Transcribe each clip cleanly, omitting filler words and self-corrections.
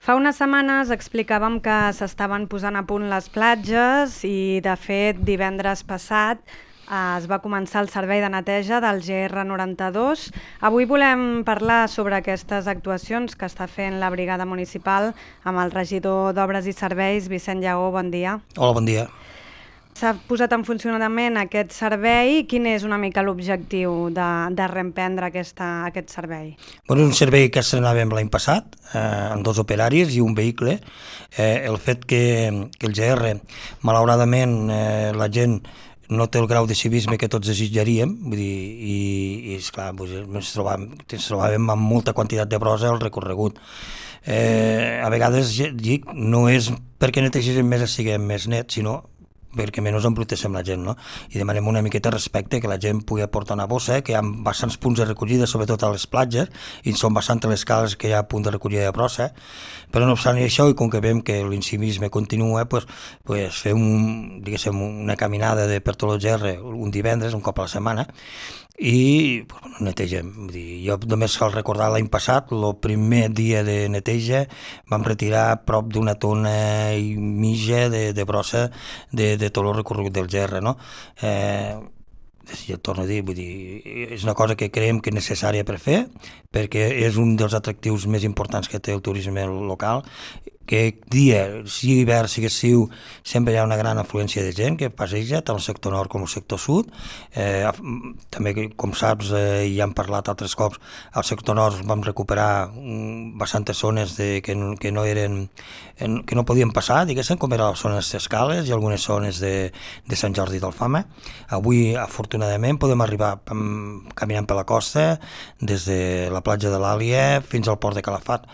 Fa unes setmanes explicàvem que s'estaven posant a punt les platges i, de fet, divendres passat es va començar el servei de neteja del GR92. Avui volem parlar sobre aquestes actuacions que està fent la brigada municipal amb el regidor d'Obres i Serveis, Vicent Lleó. Bon dia. Hola, bon dia. S'ha posat en funcionament aquest servei. Quin és una mica l'objectiu de reemprendre aquest servei? Bueno, és un servei que estrenàvem l'any passat, amb 2 operaris i un vehicle. El fet que el GR, malauradament, la gent no té el grau de civisme que tots desitjaríem, vull dir, i esclar, ens trobàvem amb molta quantitat de brossa al recorregut. A vegades, dic, no és perquè netegem més i siguem més nets, sinó perquè menys embruteixem la gent, no? I demanem una miqueta de respecte, que la gent pugui aportar una bossa, que hi ha bastants punts de recollida, sobretot a les platges, i són bastant les cales que hi ha punt de recollida de brossa, però no obstant això, i com que veiem que l'incivisme continua, pues fem una caminada per tot el GR un divendres, un cop a la setmana, i netegem. Vull dir, jo només cal recordar l'any passat, el primer dia de neteja vam retirar prop d'una tona i mitja de brossa de tot el recorregut del GR, no? Jo torno a dir, vull dir, és una cosa que creiem que és necessària per fer, perquè és un dels atractius més importants que té el turisme local, que dia, sigui hivern, sigui estiu, sempre hi ha una gran afluència de gent que passeja tant el sector nord com el sector sud. També, com saps, ja hem parlat altres cops, al sector nord vam recuperar bastantes zones que no podien passar, diguéssim, com eren les zones d'Escales i algunes zones de Sant Jordi d'Alfama. Avui, afortunadament, podem arribar caminant per la costa, des de la platja de l'Àlia fins al port de Calafat.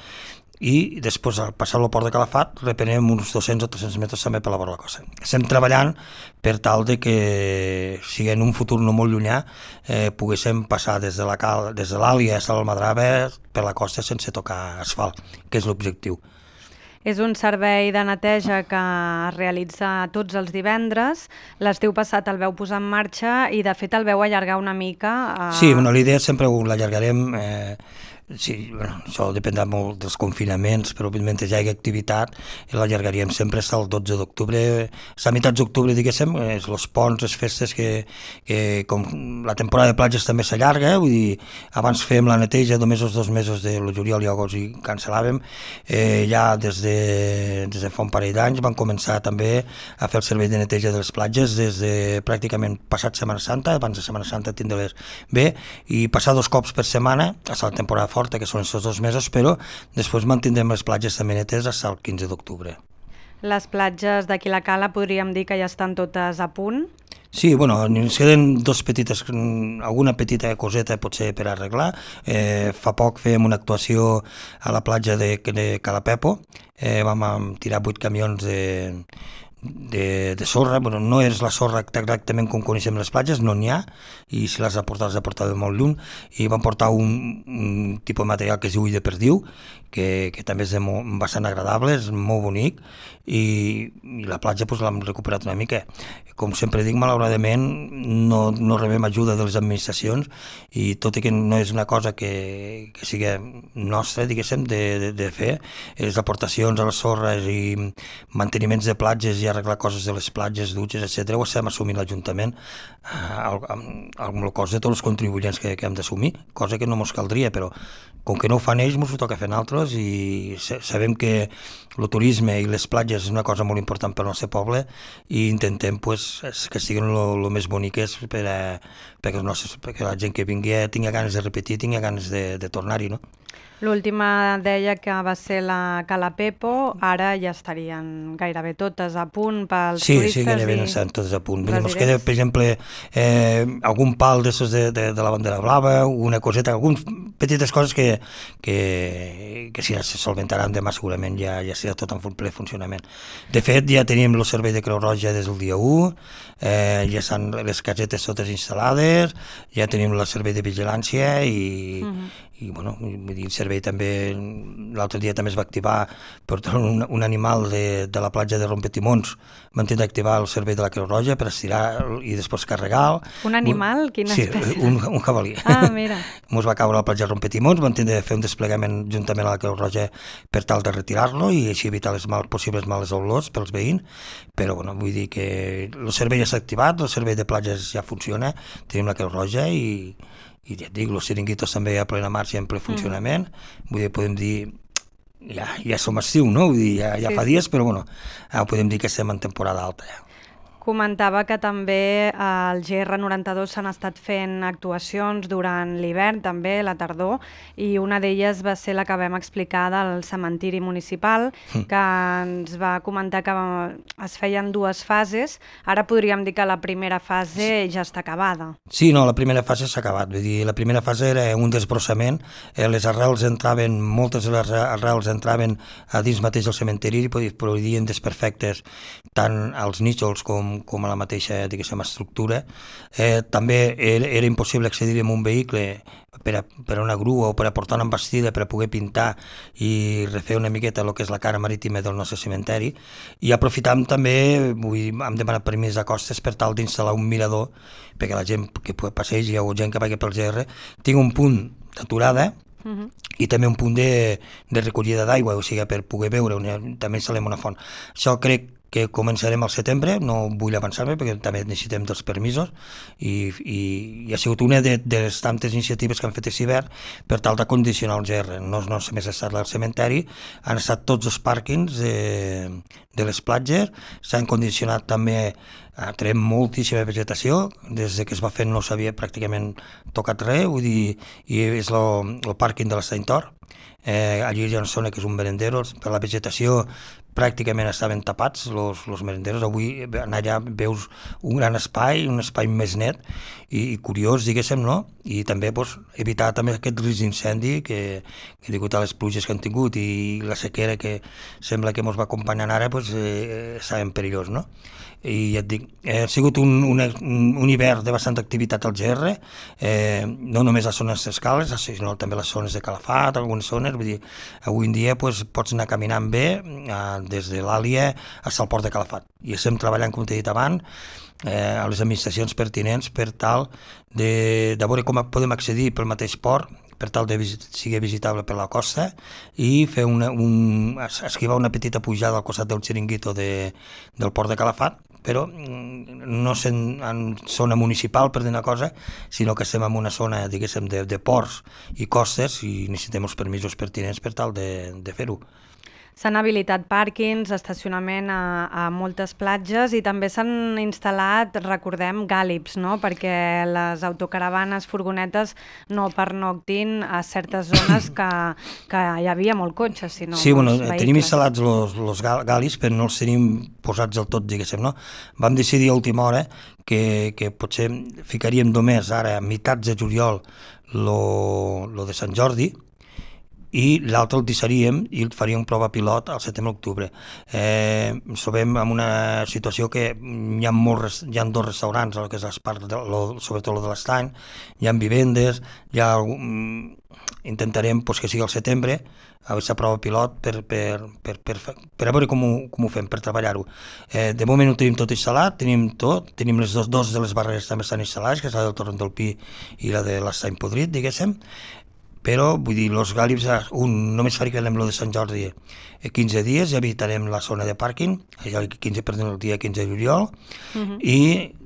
I després, al passar el port de Calafat, reprenem uns 200 o 300 metres també per la vora de la costa. Estem treballant per tal de que, si en un futur no molt llunyà, poguéssim passar des de l'Àlia a Almadrava per la costa sense tocar asfalt, que és l'objectiu. És un servei de neteja que es realitza tots els divendres. L'estiu passat el veu posar en marxa i, de fet, el veu allargar una mica. Sí, la idea sempre l'allargarem. Sí, això dependrà molt dels confinaments, però mentre hi hagi activitat l'allargaríem sempre fins al 12 d'octubre. A meitats d'octubre, diguéssim, els ponts, les festes, que com la temporada de platges també s'allarga, vull dir, abans fèiem la neteja només els 2 mesos de juliol i agost i cancel·làvem. Ja des de fa un parell d'anys van començar també a fer el servei de neteja de les platges des de pràcticament passat Setmana Santa, abans de Setmana Santa tindre-les bé, i passar 2 cops per setmana, fins a la temporada forta, que són aquests 2 mesos, però després mantindrem les platges també netes fins al 15 d'octubre. Les platges d'aquí la Cala podríem dir que ja estan totes a punt? Sí, ens queden alguna petita coseta potser per arreglar. Fa poc fèiem una actuació a la platja de Calapepo, vam tirar 8 camions de sorra. No és la sorra exactament com coneixem les platges, no n'hi ha, i si les ha portat de molt lluny, i van portar un tipus de material que es diu ull de perdiu, que també és bastant agradable, és molt bonic, i la platja l'hem recuperat una mica. Com sempre dic, malauradament no rebem ajuda de les administracions, i tot i que no és una cosa que sigui nostra, diguéssim, de fer, les aportacions a les sorres i manteniments de platges i arreglar coses de les platges, dutxes, etc., ho estem assumint l'Ajuntament amb el cost de tots els contribuents que hem d'assumir, cosa que no ens caldria, però com que no ho fan ells, ens ho toca fer nosaltres, i sabem que el turisme i les platges és una cosa molt important per al nostre poble, i intentem que siguin el més boniques perquè la gent que vingui tingui ganes de repetir, tingui ganes de tornar-hi, no? L'última deia que va ser la Calapepo, ara ja estarien gairebé totes a punt pels turistes. Sí, gairebé estan totes a punt. Ens queda, per exemple, algun pal de la bandera blava, una coseta, algunes petites coses que si se solventaran demà segurament ja serà tot en ple funcionament. De fet, ja tenim el servei de Creu Roja des del dia 1, ja estan les casetes totes instal·lades, ja tenim el servei de vigilància i bueno, vull dir, el servei també, l'altre dia també es va activar per un animal de la platja de Rompetimons, van tenir d'activar el servei de la Creu Roja per estirar i després carregar. Un animal? Quina espècie? Sí, un jabalí. Mira. Ens va caure a la platja de Rompetimons, van tenir de fer un desplegament juntament a la Creu Roja per tal de retirar-lo i així evitar les possibles males olors pels veïns, però bueno, vull dir que el servei ja s'ha activat, el servei de platges ja funciona, tenim la Creu Roja i ja et dic, els xiringuitos també a plena marxa i en ple funcionament, vull dir, podem dir, ja som estiu, no? Vull dir, ja fa dies, però bueno, podem dir que estem en temporada alta ja. Comentava que també al GR92 s'han estat fent actuacions durant l'hivern, també la tardor, i una d'elles va ser la que vam explicar del cementiri municipal, que ens va comentar que es feien 2 fases. Ara podríem dir que la primera fase ja està acabada. Sí, no, la primera fase s'ha acabat. Vull dir, la primera fase era un desbrossament, les arrels entraven, moltes de les arrels entraven a dins mateix del cementiri i produïen desperfectes tant als nínxols com a la mateixa, diguéssim, estructura. També era impossible accedir amb un vehicle per a una grua o per a portar una embastida per a poder pintar i refer una miqueta el que és la cara marítima del nostre cementeri, i aprofitam també, hem demanat permís a Costes per tal d'instal·lar un mirador perquè la gent que passegi o gent que vagi pel GR tingui un punt d'aturada i també un punt de recollida d'aigua, o sigui, per poder beure, també instal·lem una font. Això crec que començarem al setembre, no vull avançar-me perquè també necessitem dels permisos i ha sigut una de les tantes iniciatives que han fet aquest hivern per tal de condicionar el GR. No només ha estat el cementeri, han estat tots els pàrquings de les platges, s'han condicionat també, tenim moltíssima vegetació, des que es va fer no s'havia pràcticament tocat res, vull dir, i és el pàrquing de l'Estany Tor. Allí hi ha una zona que és un merendero, per la vegetació pràcticament estaven tapats els merenderos. Avui allà veus un gran espai, un espai més net i curiós, diguéssim, no? I també evitar també aquest risc d'incendi que degut a les pluges que han tingut i la sequera que sembla que ens va acompanyant ara, estàvem perillós, no? I ja et dic, ha sigut un hivern de bastanta activitat al GR, no només les zones d'escales, sinó també les zones de Calafat, algunes zones, vull dir, avui en dia pots anar caminant bé des de l'Àlia fins al port de Calafat. I estem treballant, com t'he dit abans, a les administracions pertinents per tal de veure com podem accedir pel mateix port, per tal de sigui visitable per la costa i fer esquivar una petita pujada al costat del xiringuito del port de Calafat, però no en zona municipal per dir una cosa, sinó que estem en una zona, diguéssim, de ports i costes i necessitem els permisos pertinents per tal de fer-ho. S'han habilitat pàrquings, estacionament a moltes platges i també s'han instal·lat, recordem, gàlips, no? Perquè les autocaravanes, furgonetes no pernoctin a certes zones que hi havia molt cotxe, sinó sí, bueno, tenim instal·lats els gàlips, però no els tenim posats del tot, diguéssim, no? Vam decidir a última hora que potser ficaríem només ara a meitats de juliol lo de Sant Jordi, i l'altre el deixaríem i faríem prova pilot al setembre-octubre. Ens trobem en una situació que hi ha 2 restaurants, que és sobretot el de l'Estany, hi ha vivendes, intentarem que sigui al setembre, a aquesta prova pilot per a veure com ho fem, per treballar-ho. De moment ho tenim tot instal·lat, tenim les dos de les barreres també estan instal·lades, que és la del Torrent del Pi i la de l'Estany Podrit, diguéssim, però, vull dir, els gàlips, només fabricarem el de Sant Jordi 15 dies, ja visitarem la zona de pàrquing, el dia 15 de juliol, i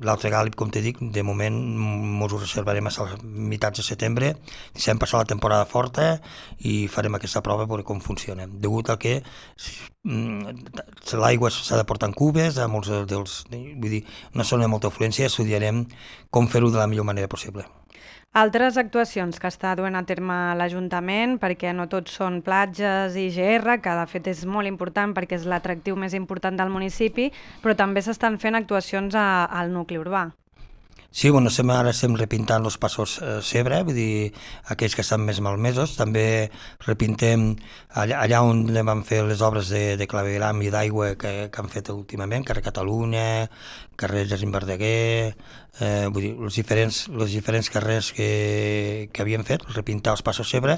l'altre gàlib, com t'he dit, de moment ens ho reservarem a meitats de setembre, deixem passar la temporada forta i farem aquesta prova per veure com funciona. Degut al que l'aigua s'ha de portar en cubes, vull dir, una zona de molta afluència, estudiarem com fer-ho de la millor manera possible. Altres actuacions que està duent a terme l'Ajuntament, perquè no tots són platges i GR, que de fet és molt important perquè és l'atractiu més important del municipi, però també s'estan fent actuacions al nucli urbà. Sí, bueno, ara estem repintant els passos Cebre, vull dir, aquells que estan més malmesos. També repintem allà on vam fer les obres de clavegram i d'aigua que han fet últimament, carrer Catalunya, carrer Jacint Verdaguer, vull dir, els diferents carrers que havíem fet, repintar els passos Cebre,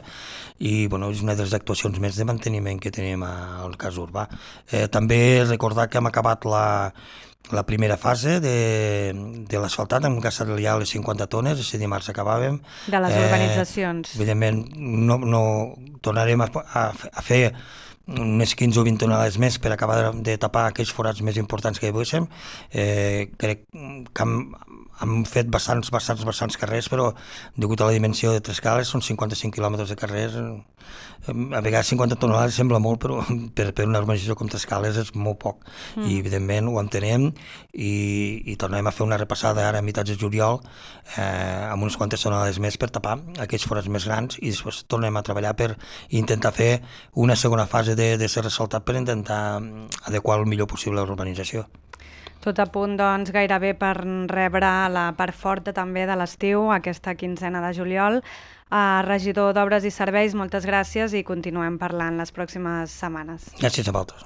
i bueno, és una de les actuacions més de manteniment que tenim al cas urbà. També recordar que hem acabat la primera fase de l'asfaltat, hem gastat ja les 50 tones, aquest dimarts acabàvem. De les urbanitzacions. Evidentment, no tornarem a fer unes 15 o 20 tonelades més per acabar de tapar aquells forats més importants que hi haguéssim. Crec que hem fet bastants carrers, però degut a la dimensió de Tres Cales són 55 quilòmetres de carrers. A vegades 50 tonelades sembla molt, però per una urbanització com Tres Cales és molt poc. I evidentment ho entenem i tornem a fer una repassada ara a meitats de juliol amb unes quantes tonelades més per tapar aquells forats més grans, i després tornem a treballar per intentar fer una segona fase de ser ressaltat per intentar adequar el millor possible a la urbanització. Tot a punt, doncs, gairebé per rebre la part forta també de l'estiu, aquesta quinzena de juliol. Regidor d'Obres i Serveis, moltes gràcies i continuem parlant les pròximes setmanes. Gràcies a vosaltres.